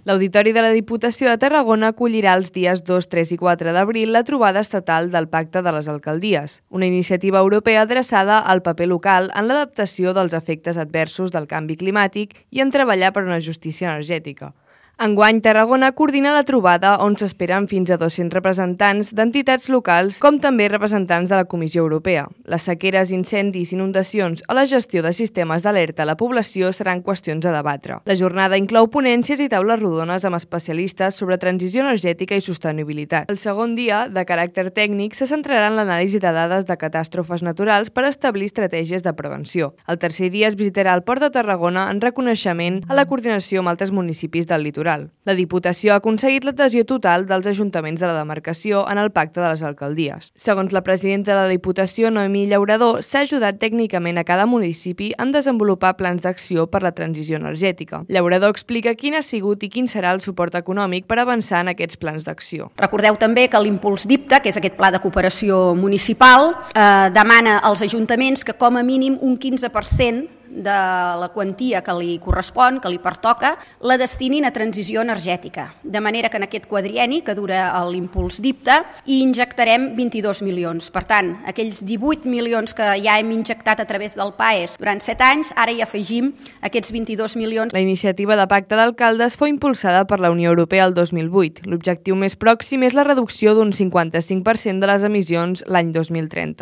L'Auditori de la Diputació de Tarragona acollirà els dies 2, 3 i 4 d'abril la trobada estatal del Pacte de les Alcaldies, una iniciativa europea adreçada al paper local en l'adaptació dels efectes adversos del canvi climàtic i en treballar per una justícia energètica. Enguany, Tarragona coordina la trobada on s'esperen fins a 200 representants d'entitats locals com també representants de la Comissió Europea. Les sequeres, incendis, inundacions o la gestió de sistemes d'alerta a la població seran qüestions a debatre. La jornada inclou ponències i taules rodones amb especialistes sobre transició energètica i sostenibilitat. El segon dia, de caràcter tècnic, se centrarà en l'anàlisi de dades de catàstrofes naturals per establir estratègies de prevenció. El tercer dia es visitarà el Port de Tarragona en reconeixement a la coordinació amb altres municipis del litoral. La Diputació ha aconseguit l'adhesió total dels ajuntaments de la demarcació en el Pacte de les Alcaldies. Segons la presidenta de la Diputació, Noemí Llaurador, s'ha ajudat tècnicament a cada municipi en desenvolupar plans d'acció per la transició energètica. Llaurador explica quin ha sigut i quin serà el suport econòmic per avançar en aquests plans d'acció. Recordeu també que l'Impuls DIPTA, que és aquest pla de cooperació municipal, demana als ajuntaments que com a mínim un 15% de la quantia que li correspon, que li pertoca, la destinin a transició energètica. De manera que en aquest quadrienni, que dura l'Impuls DIPTA, hi injectarem 22 milions. Per tant, aquells 18 milions que ja hem injectat a través del PAES durant 7 anys, ara hi afegim aquests 22 milions. La iniciativa de Pacte d'Alcaldes fou impulsada per la Unió Europea el 2008. L'objectiu més pròxim és la reducció d'un 55% de les emissions l'any 2030.